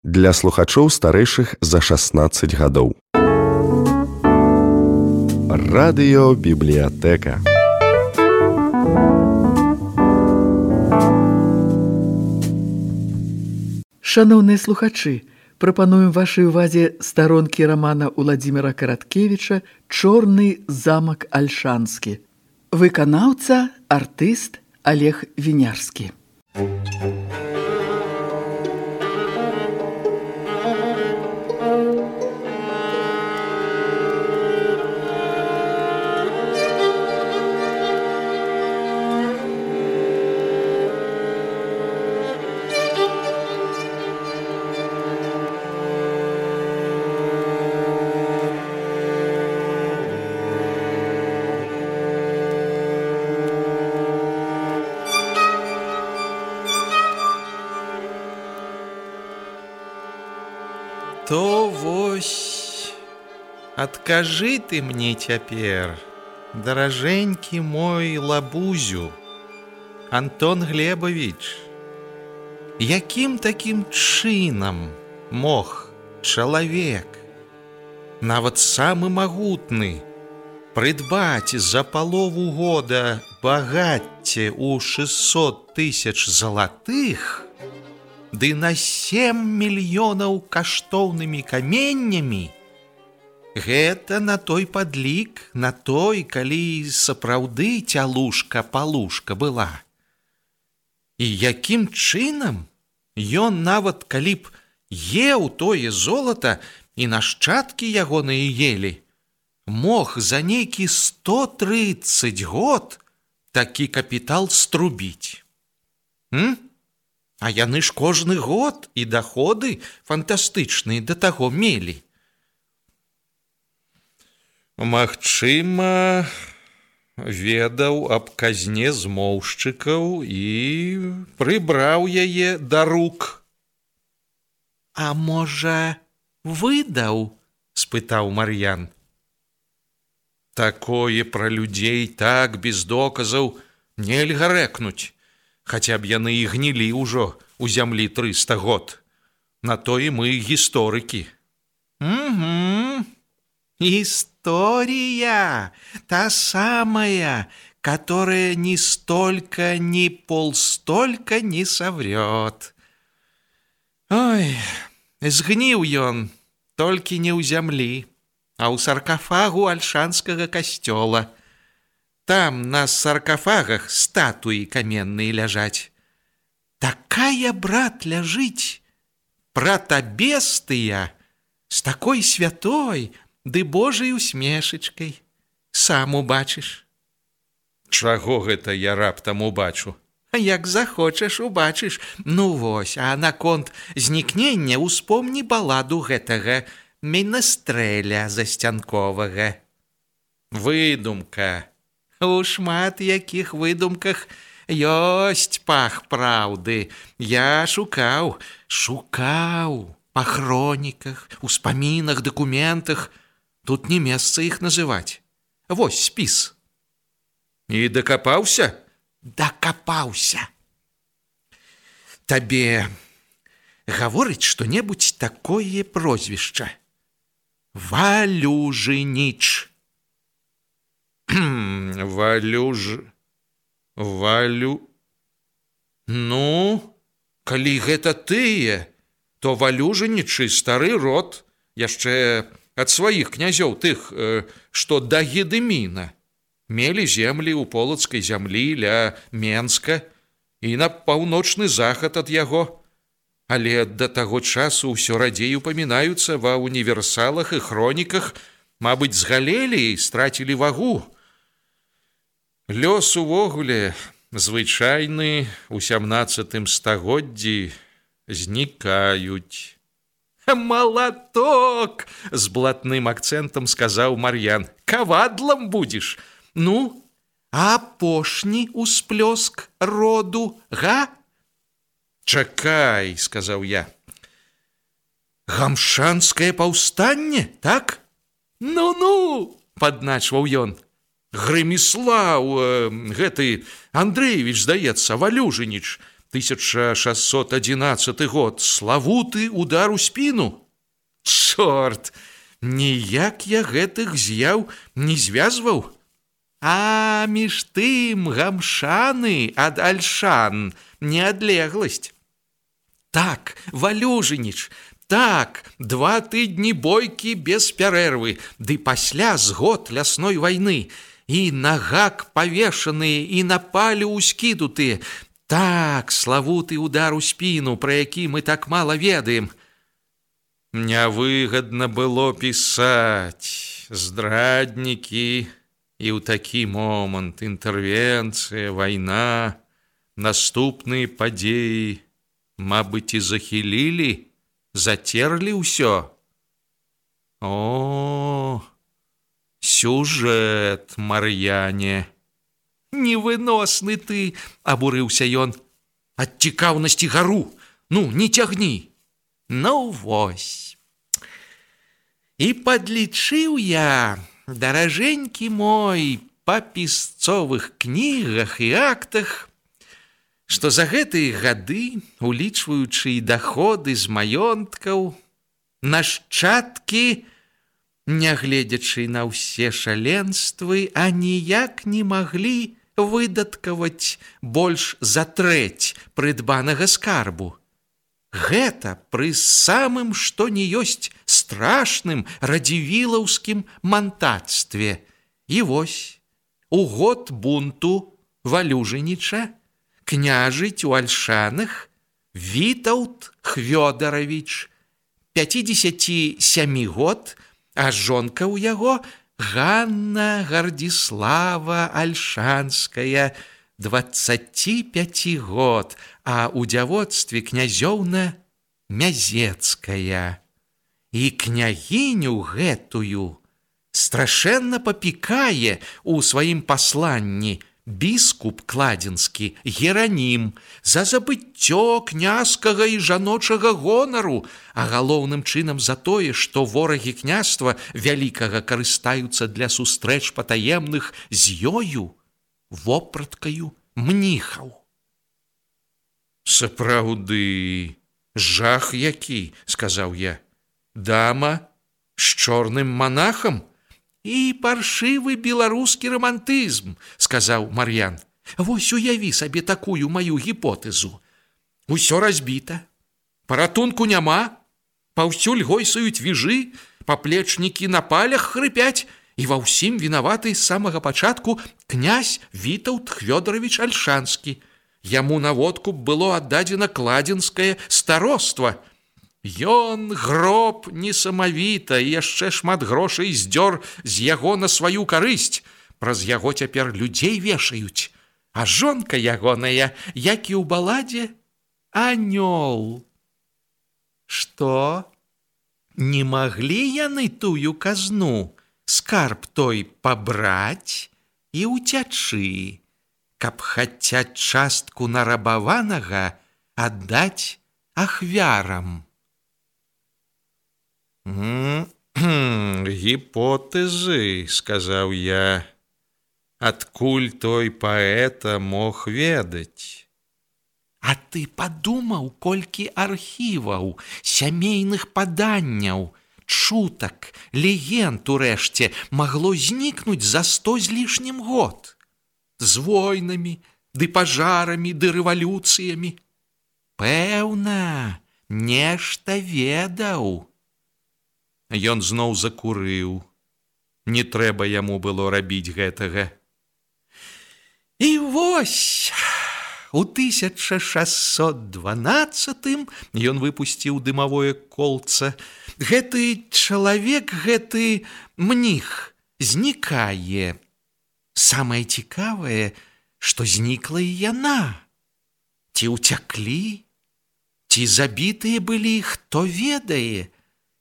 для слухачоў старэйшых за 16 гадоў. Радыёбібліятэка. Шаноўныя слухачы, прапануем вашай увазе старонкі рамана Уладзіміра Караткевіча «Чорны замак Альшанскі». Выканаўца, артыст Олег Вінярскі. То вось, адкажы ты мне цяпер, даражэнькі мой лабузю, Антон Глебович, якім такім чынам мог чалавек, нават самы магутны, прыдбаць за палову года багацце ў 600 000 залатых, ды на 7 мільёнаў каштоўнымі каменнямі? Гэта на той падлік, на той, калі сапраўды цялушка-палушка была. І якім чынам ён нават калі б еў тое золата і нашчадкі ягоныя елі, мог за нейкі 130 год такі капітал струбіць? А яны ж кожны год і даходы фантастычныя да таго мелі. Магчыма, ведаў аб казне змоўшчыкаў і прыбраў яе да рук. А можа, выдаў? Спытаў Мар'ян. Такое пра людзей так без доказаў нельга рэкнуць. Хаця б яны і гнілі ўжо ў зямлі 300 год. На то і мы гісторыкі. История, та самая, которая ни столько, ни полстолько не соврет. Ой, згніў ён, толькі не ў зямлі, а ў саркафагу Альшанскага касцёла. Там на саркафагах статуі каменныя ляжаць. Такая, брат, ляжыць, пратобестыя, з такой святой ды Божай усмешачкай. Сам убачыш. Чаго гэта я раптам убачу? Як захочаш, убачыш. Ну вось, а наконт знікнення успомні баладу гэтага Менестрэля засцянковага. Выдумка. У шмат якіх выдумках ёсць пах праўды. Я шукаў па хроніках, успамінах, дакументах. Тут не месца іх называць. Вось спіс. І дакапаўся? Дакапаўся. Табе гаворыць што-небудзь такое прозвішча? Валюжыніч. Ну, калі гэта тыя, то Валюжынічы стары род, яшчэ ад сваіх князёў тых, што да Гедыміна. Мелі землі ў полацкай зямлі ля Менска і на паўночны захад ад яго. Але да таго часу ўсё радзей упамінаюцца ва універсалах і хроніках, мабыць, згалелі і страцілі вагу. Лёс увогуле звычайны ў 17 стагоддзі знікаюць. Малаток! З блатным акцэнтам сказаў Мар'ян. Кавадлам будзеш? Ну, апошні усплёск роду, га? Чакай, сказаў я. Гамшанскае паўстанне, так? Ну-ну, падначваў ён. Грыміслаў, гэты Андрэевіч, здаецца, Валюжыніч, 1611 год, славуты удар у спіну. Чорт, ніяк я гэтых з'яў не звязваў. А між тым гамшаны ад альшан не адлегласць. Так, Валюжыніч, так, 2 тыдні бойкі без пярэрвы, ды пасля згод лясной вайны, і на гак павешаныя, і на палю ўскідутыя. Так, славуты удар у спіну, пра які мы так мала ведаем. Нявыгадна было пісаць, здраднікі, і ў такі момант інтэрвенцыя, вайна, наступныя падзеі, мабыць, і захілілі, зацерлі ўсё. О, сюжэт, Мар'яне. Невыносны ты, абурыўся ён. Ад цікаўнасці гару, ну, не цягні. Ну, вось. І падлічыў я, даражэнькі мой, па пісцовых кнігах і актах, што за гэтыя гады, улічваючы і даходы з маёнткаў, нашчадкі, нягледзячы на ўсе шаленствы, аніяк не маглі выдаткаваць больш за трэць прыдбанага скарбу. Гэта пры самым што ні ёсць страшным радзівілаўскім мантацтве. І вось, у год бунту Валюжыніча княжыць у Альшанах Вітаўт Хвёдаравіч, 57 год, а жонка ў яго Ганна Гардзіслава Альшанская, 25 год, а ў дзявоцтве князёўна Мязецкая. І княгіню гэтую страшэнна папікае ў сваім пасланні біскуп кладзенскі Геранім за забыццё княжскага і жаночага гонару, а галоўным чынам за тое, што ворагі княства вялікага карыстаюцца для сустрэч патаемных з ёю, вопраткаю мніхаў. Сапраўды, жах які, сказаў я. Дама з чорным манахам? І паршывы беларускі рамантызм, сказаў Мар'ян. Вось уяві сабе такую маю гіпотэзу. Усё разбіта, паратунку няма, паўсюль гойсаюць віжы, паплечнікі на палях хрыпяць, і ва ўсім вінаваты з самага пачатку князь Вітаўт Хвёдаравіч Альшанскі. Яму на водку было аддадзена кладзенскае староства. Ён гроб несамавіта і яшчэ шмат грошай здзёр з яго на сваю карысць. Праз яго цяпер людзей вешаюць. А жонка ягоная, як і ў баладзе, анёл. Што? Не маглі яны тую казну, скарб той пабраць і ўцячы, каб хаця частку нарабаванага аддаць ахвярам? Гіпотэзы, сказаў я. Адкуль той паэта мог ведаць? А ты падумаў, колькі архіваў, сямейных паданняў, чутак, легенд урэшце магло знікнуць за 100 з лішнім год? З войнамі, ды пажарамі, ды рэвалюцыямі. Пэўна, нешта ведаў. Ён зноў закурыў. Не трэба яму было рабіць гэтага. І вось, у 1612 ён выпусціў дымавое колца. Гэты чалавек, гэты мніх знікае. Самае цікавае, што знікла і яна. Ці ўцяклі, ці забітыя былі, хто ведае.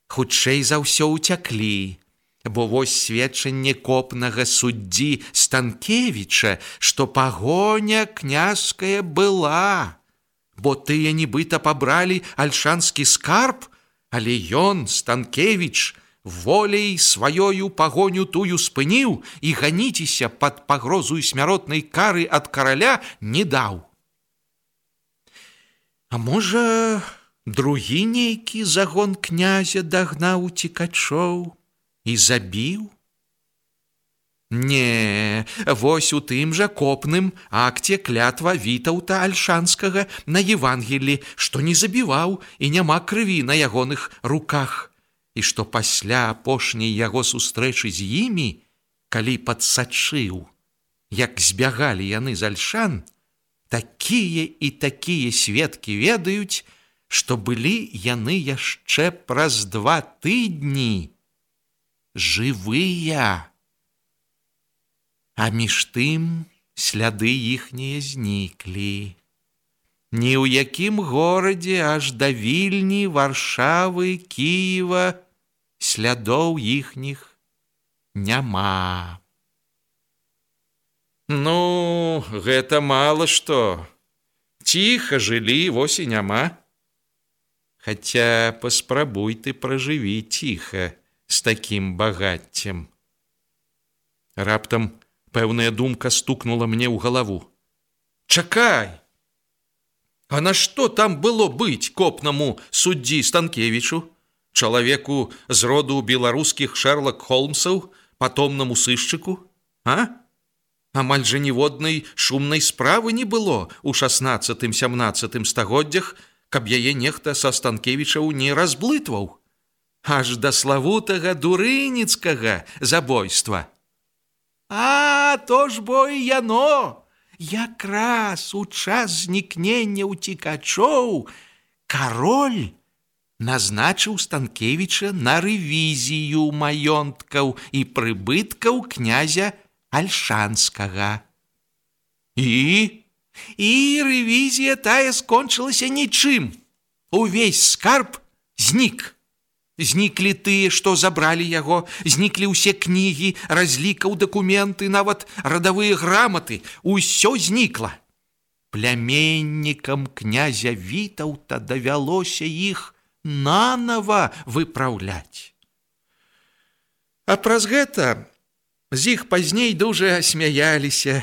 Хутчэй за ўсё ўцяклі, бо вось сведчанне копнага суддзі Станкевіча, што пагоня княжская была, бо тыя нібыта пабралі альшанскі скарб, але ён, Станкевіч, воляй сваёю пагоню тую спыніў і ганіцеся пад пагрозу смяротнай кары ад караля не даў. А можа, другі нейкі загон князя дагнаў уцекачоў і забіў? Не, вось у тым жа копным акце клятва Вітаўта Альшанскага на Евангелі, што не забіваў і няма крыві на ягоных руках, і што пасля апошняй яго сустрэчы з імі, калі падсачыў, як збягалі яны з Альшан, такія і такія сведкі ведаюць, што былі яны яшчэ праз 2 тыдні жывыя. А між тым сляды іхнія зніклі. Ні ў якім горадзе аж да Вільні, Варшавы, Кіева слядоў іхніх няма. Ну, гэта мала што. Ціха жылі, вось і няма. Хаця паспрабуй ты пражыві ціха з такім багаццем. Раптам пэўная думка стукнула мне ў галаву. Чакай! А на што там было быць копнаму суддзі Станкевічу, чалавеку з роду беларускіх Шерлок Холмсаў, патомнаму сышчыку? А? Амаль жа ніводнай шумнай справы не было ў 16-17 стагоддзях, каб яе нехта са Станкевічаў не разблытваў. Аж да славутага дурыніцкага забойства. А, то ж бо і яно! Якраз у час знікнення ўцекачоў кароль назначыў Станкевіча на рэвізію маёнткаў і прыбыткаў князя Альшанскага. І рэвізія тая скончылася нічым. Увесь скарб знік. Зніклі тыя, што забралі яго, зніклі ўсе кнігі, разлікаў, дакументы, нават радавыя граматы. Усё знікла. Пляменнікам князя Вітаўта давялося іх нанава выпраўляць. А праз гэта з іх пазней дужа смяяліся.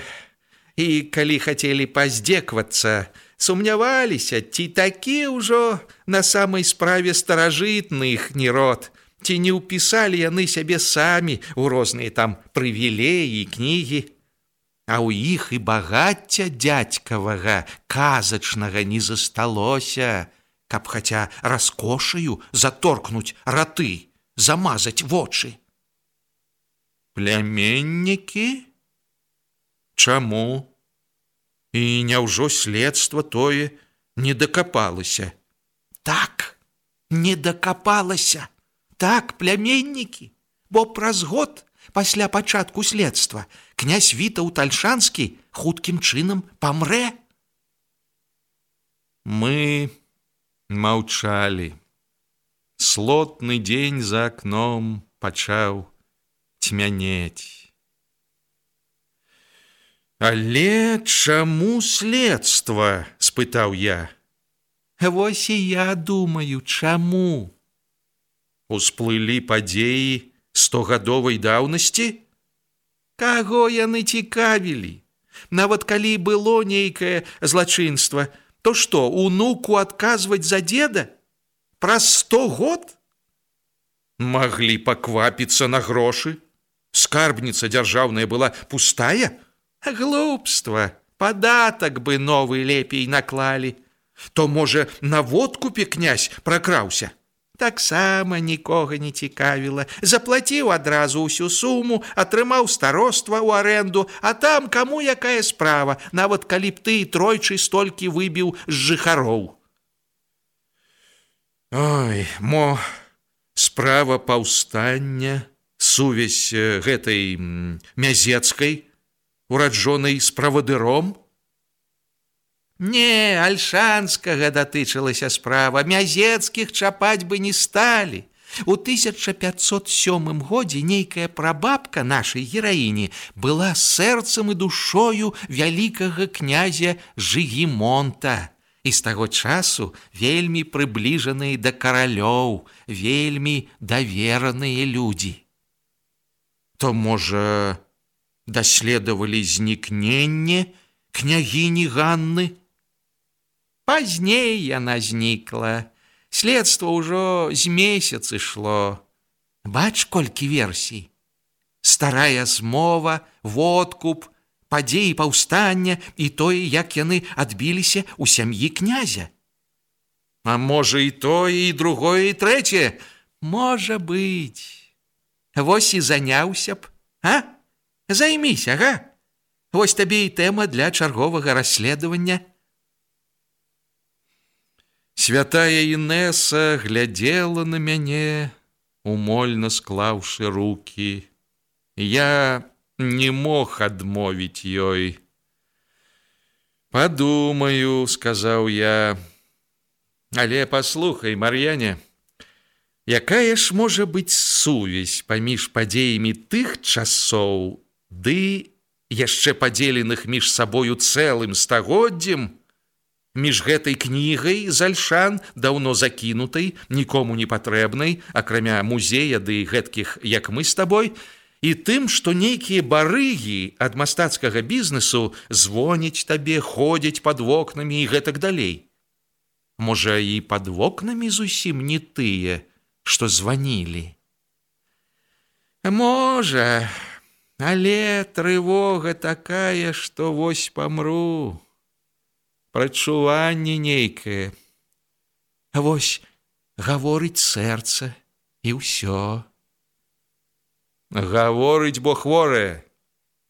І калі хацелі паздзеквацца, сумняваліся, ці такі ўжо на самай справе старажытны іхні род, ці не ўпісалі яны сябе самі ў розныя там прывілеі і кнігі. А ў іх і багацця дзядзькавага, казачнага не засталося, каб хаця раскошаю заторкнуць раты, замазаць вочы. Пляменнікі? Чаму? І няўжо следства тое не дакапалася? Так, не дакапалася. Так, пляменнікі, бо праз год пасля пачатку следства князь Вітаўт Альшанскі хуткім чынам памрэ. Мы маўчалі. Слотны дзень за акном пачаў цьмянець. Але чаму следства? Спытаў я. Вось і я думаю, чаму? Усплылі падзеі 100гадовай даўнасці? Каго яны цікавілі? Нават калі было нейкае злачынства, то што, унуку адказваць за дзеда? Праз 100 год? Маглі паквапіцца на грошы? Скарбніца дзяржаўная была пустая? Глупства, падатак бы новы лепей наклалі. То, можа, на водкупе князь пракраўся? Таксама нікога не цікавіла. Заплаціў адразу ўсю суму, атрымаў староства ў арэнду, а там каму якая справа, нават калі б ты тройчы столькі выбіў з жыхароў. Ой, мо справа паўстання, сувязь гэтай Мязецкай, ураджонай з правадыром? Не, Альшанскага датычылася справа, Мязецкіх чапаць бы не сталі. У 1507 годзе нейкая прабабка нашай гераіні была сэрцам і душою вялікага князя Жыгімонта. І з таго часу вельмі прыбліжаныя да каралёў, вельмі давераныя людзі. То, можа, даследавалі знікненне княгіні Ганны? Пазней яна знікла. Следства ўжо з месяц ішло. Бач, колькі версій. Старая змова, водкуп, падзеі паўстання і тое, як яны адбіліся ў сям'і князя. А можа і тое, і другое, і трэцяе? Можа быць. Вось і заняўся б, а? Займіся, га? Вось табе і тэма для чарговага расследавання. Святая Інеса глядзела на мяне, умольна склаўшы рукі. Я не мог адмовіць ёй. «Падумаю», — сказаў я. «Але паслухай, Мар'яне, якая ж можа быць сувязь паміж падзеямі тых часоў ды яшчэ падзеленых між сабою цэлым стагоддзем, між гэтай кнігай з Альшан, даўно закінутай, нікому не патрэбнай, акрамя музея ды гэткіх, як мы з табой, і тым, што нейкія барыгі ад мастацкага бізнесу звоняць табе, ходзяць пад вокнамі і гэтак далей. Можа, і пад вокнамі зусім не тыя, што званілі? Можа, але трывога такая, што вось памру. Прачуванне нейкае. Вось гаворыць сэрца, і ўсё. Гаворыць, бо хворае.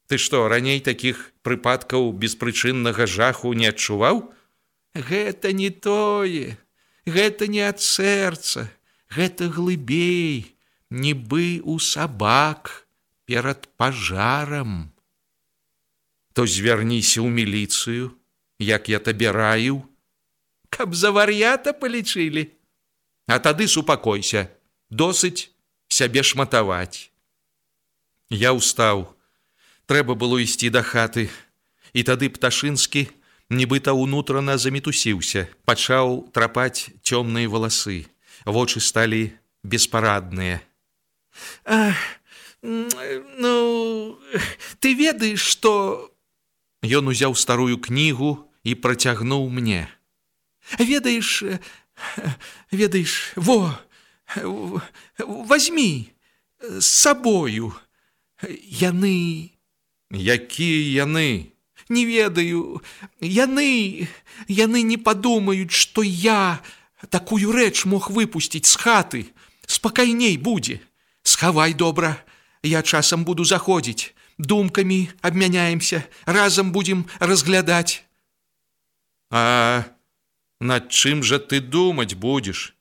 Ты што, раней такіх прыпадкаў беспрычыннага жаху не адчуваў? Гэта не тое, гэта не ад сэрца, гэта глыбей, нібы у сабак перад пажарам. То звярніся ў міліцыю, як я табе раіў, каб за вар'ята палічылі. А тады супакойся, досыць сябе шматаваць. Я ўстаў, трэба было ісці да хаты, і тады Пташынскі нібыта ўнутрана замітусіўся, пачаў трапаць цёмныя валасы, вочы сталі беспарадныя. Ну, ты ведаеш, што... Ён узяў старую кнігу і працягнуў мне. Ведаеш, возьмі з сабою. Яны... Якія яны? Не ведаю, яны не падумаюць, што я такую рэч мог выпусціць з хаты. Спакайней будзе. Схавай добра, я часам буду заходзіць. Думкамі абмяняемся, разам будзем разглядаць. А над чым жа ты думаць будзеш?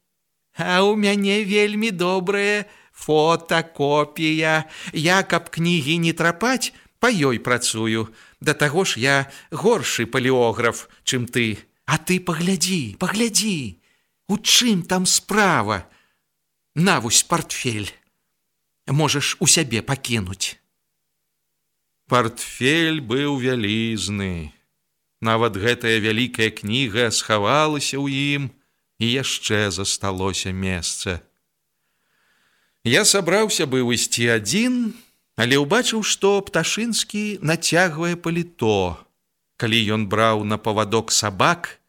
А ў мяне вельмі добрая фотакопія. Я, каб кнігі не трапаць, па ёй працую. Да таго ж я горшы палеограф, чым ты. А ты паглядзі, у чым там справа? На вось партфель. Можаш у сябе пакінуць. Партфель быў вялізны. Нават гэтая вялікая кніга схавалася ў ім, і яшчэ засталося месца. Я сабраўся быў ісці адзін, але ўбачыў, што Пташынскі нацягвае паліто. Калі ён браў на павадок сабак,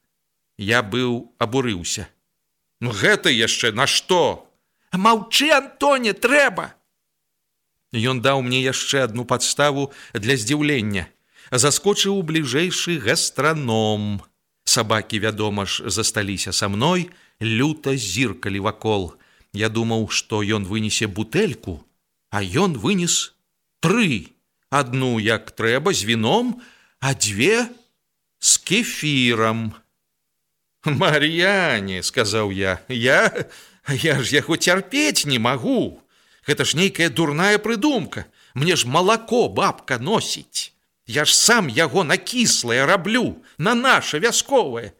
я быў абурыўся. Ну гэта яшчэ на што? Маўчы, Антоне, трэба! Ён даў мне яшчэ адну падставу для здзіўлення. Заскочыў у бліжэйшы гастраном. Сабакі, вядома ж, засталіся са мной, люта зіркалі вакол. Я думаў, што ён вынесе бутэльку, а ён вынес 3. Адну, як трэба, з віном, а 2 з кефірам. «Мар'яне», — сказаў я ж яго цярпець не магу. Гэта ж нейкая дурная прыдумка. Мне ж малако бабка носіць. Я ж сам яго на кіслае раблю, на наша вясковае.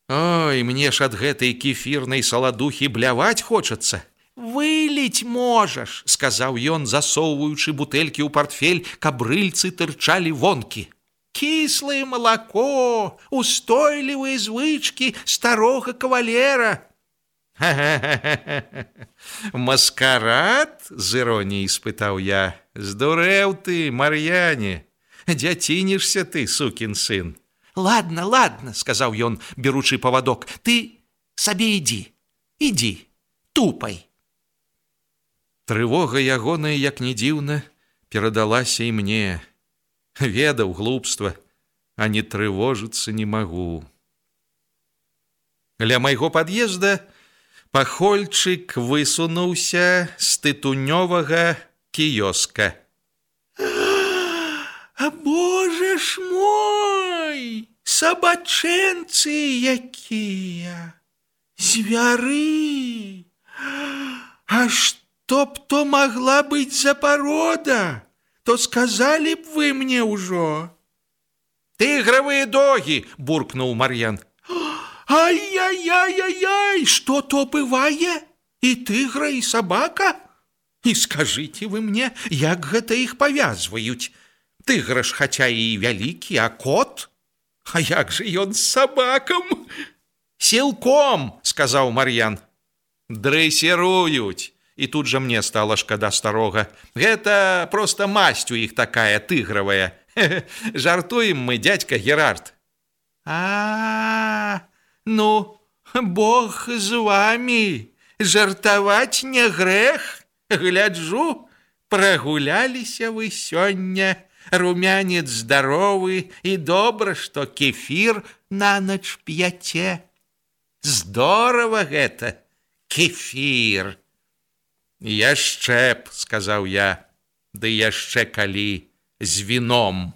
Ой, мне ж ад гэтай кефірнай саладухі бляваць хочацца. «Выліць можаш», — сказаў ён, засоўваючы бутэлькі ў партфель, каб рыльцы тырчалі вонкі. «Кіслае малако, устойлівыя звычкі старога кавалера». «Маскарад?» — з іроніяй спытаў я. «Здурэў ты, Мар'яне, дзяцінішся ты, сукін сын. Ладно, ладно, сказаў ён, беручы павадок, ты сабе ідзі, тупай. Трывога ягоная, як не дзіўна, перадалася і мне. Ведаў глупства, а не трывожыцца не магу. Ля майго пад'езда пахольчык высунуўся з тытунёвага кіёска. А боже ж мой, сабачэнцы якія, звяры! А што б то магла быць за парода, то сказалі б вы мне ўжо. Тыгравыя догі, буркнуў Мар'ян. Ай-яй-яй-яй, што то бывае? І тыгра, і сабака? І скажыце вы мне, як гэта іх павязваюць? Тыгра ж хаця і вялікі, а кот? А як жа ён з сабакам? Сілком, сказаў Мар'ян. Дрэсіруюць. І тут жа мне стала шкада старога. Гэта проста масць у іх такая тыгравая. Жартуем мы, дядька Герард. Ну, Бог з вамі. Жартаваць не грэх. Гляджу, прагуляліся вы сёння. Румянец здаровы, і добра, што кефір на ноч п'яце. Здорава гэта, кефір. Яшчэ б, сказаў я, ды яшчэ калі з віном.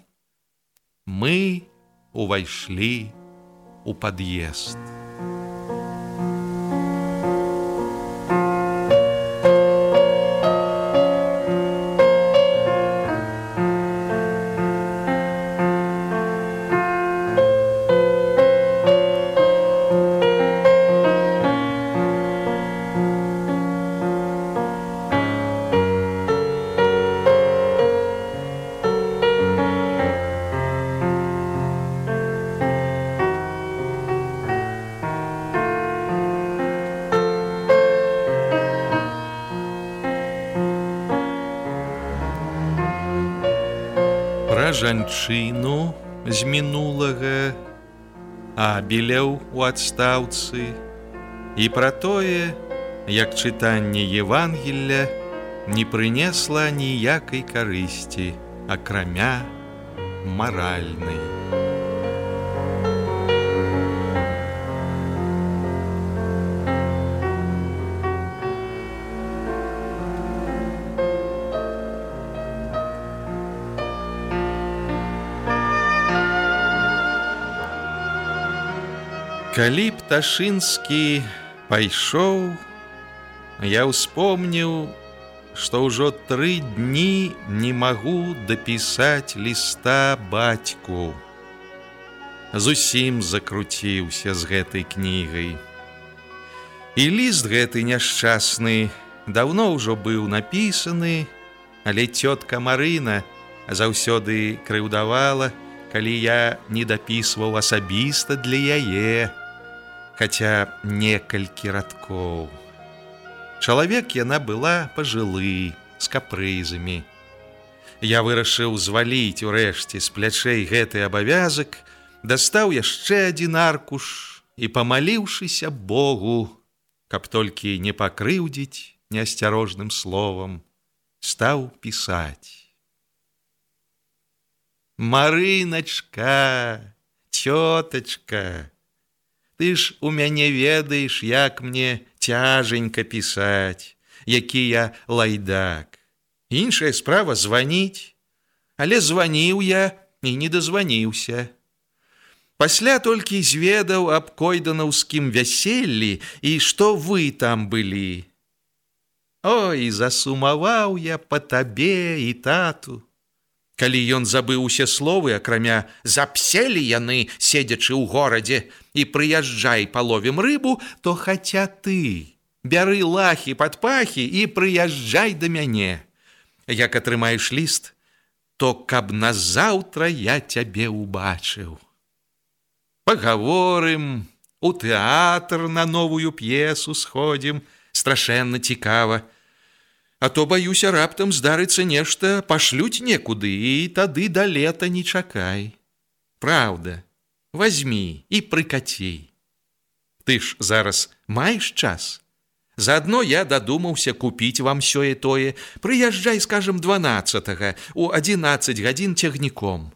Мы увайшлі у пад'езд. Жанчыну з мінулага, Абеляў у адстаўцы, і пра тое, як чытанне Евангелля не прынесла ніякай карысці, акрамя маральнай. Калі Пташынскі пайшоў, я ўспомніў, што ўжо 3 дні не магу дапісаць ліста бацьку. Зусім закруціўся з гэтай кнігай. І ліст гэты няшчасны даўно ўжо быў напісаны, але цётка Марына заўсёды крыўдавала, калі я не дапісваў асабіста для яе, хаця некалькі радкоў. Чалавек яна была пажылы, з капрызамі. Я вырашыў зваліць урэшце з плячэй гэты абавязак, дастаў яшчэ адзін аркуш і, памаліўшыся Богу, каб толькі не пакрыўдзіць неасцярожным словам, стаў пісаць. Марыначка, цётачка, ты ж у мяне ведаеш, як мне цяженька пісаць, які я лайдак. Іншая справа званіць, але званіў я і не дазваніўся. Пасля толькі зведаў аб койданаўскім вяселлі і што вы там былі. Ой, засумаваў я па табе і тату. Калі ён забыў усе словы, акрамя «запселі яны, седзячы ў горадзе, і прыязджай паловім рыбу», то хаця ты бяры лахі пад пахі і прыязджай да мяне. Як атрымаеш ліст, то каб назаўтра я цябе ўбачыў. Пагаворым, у тэатр на новую п'есу сходзім, страшэнна цікава. А то, баюся, раптам здарыцца нешта, пашлюць некуды, і тады да лета не чакай. Праўда, Вазьмі і прыкаці. Ты ж зараз маеш час? Заадно я дадумаўся купіць вам сёе-тое. Прыязджай, скажам, 12-га, у 11 гадзін цягніком.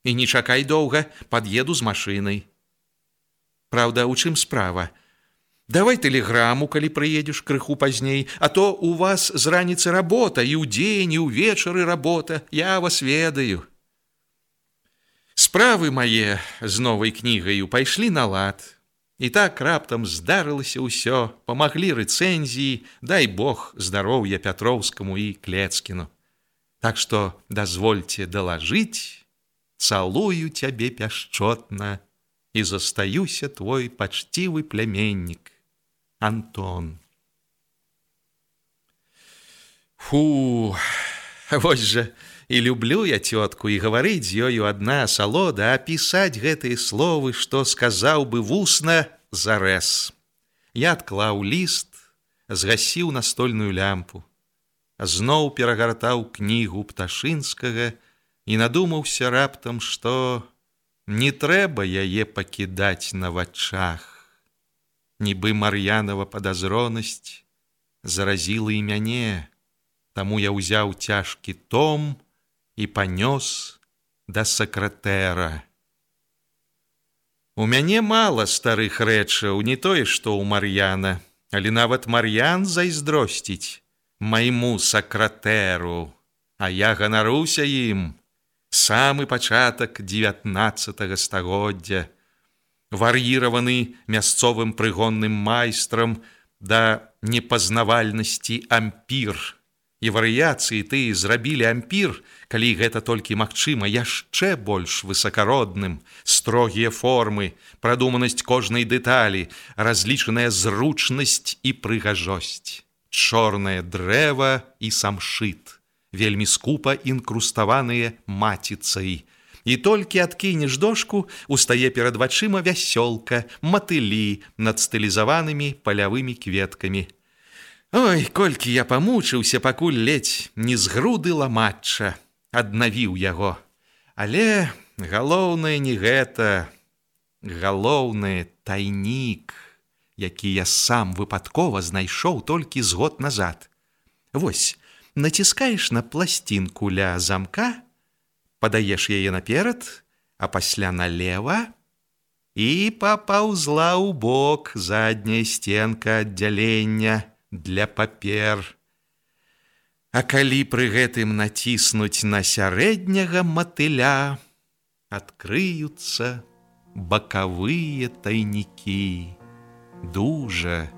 І не чакай доўга, пад'еду з машынай. Праўда, у чым справа? Давай тэлеграму, калі прыедзеш крыху пазней, а то у вас з раніцы работа, і ўдзень, і ўвечары работа, я вас ведаю. Справы мае з новай кнігаю пайшлі на лад. І так раптам здарылася ўсё, памаглі рэцэнзіі, дай Бог здароўя Пятроўскаму і Клецкіну. Так што дазвольце далажыць, цалую цябе пяшчотна і застаюся твой пачцівы пляменнік, Антон. Фу, вось жа і люблю я цётку, і гаварыць з ёю адна асалода, а пісаць гэтыя словы, што сказаў бы вусна, зарэз. Я адклаў ліст, згасіў настольную лямпу, зноў перагартаў кнігу Пташынскага і надумаўся раптам, што не трэба яе пакідаць на вачах. Нібы Мар'янова падазронасць заразіла і мяне, таму я ўзяў цяжкі том і панёс да сакратэра. У мяне мала старых рэчаў, не тое, што ў Мар'яна, але нават Мар'ян зайздросціць майму сакратэру, а я ганаруся ім. Самы пачатак 19 стагоддзя, вар'іраваны мясцовым прыгонным майстрам да непазнавальнасці ампір. І варыяцыі тыя зрабілі ампір, калі гэта толькі магчыма, яшчэ больш высакародным. Строгія формы, прадуманасць кожнай дэталі, разлічаная зручнасць і прыгажосць. Чорнае дрэва і самшыт, вельмі скупа інкруставаныя маціцай. І толькі адкінеш дошку, устае перад вачыма вясёлка, матылі над стылізаванымі палявымі кветкамі. Ой, колькі я памучыўся, пакуль ледзь не з груды ламачча аднавіў яго. Але галоўнае не гэта, галоўнае тайнік, які я сам выпадкова знайшоў толькі з год назад. Вось, націскаеш на пласцінку ля замка, падаеш яе наперад, а пасля налева, і папаўзла ў бок задняя стенка аддзялення для папер. А калі пры гэтым націснуць на сярэдняга матыля, адкрыюцца бакавыя тайнікі, дужа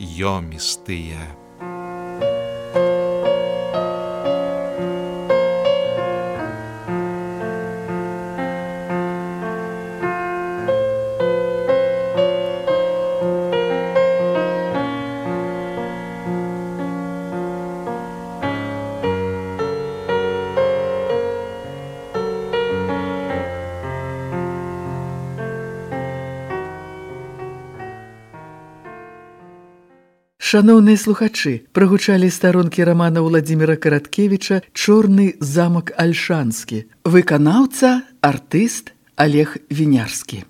ёмістыя. Шаноўныя слухачы, прагучалі старонкі рамана Уладзіміра Караткевіча «Чорны замак Альшанскі». Выканаўца, артыст Олег Вінярскі.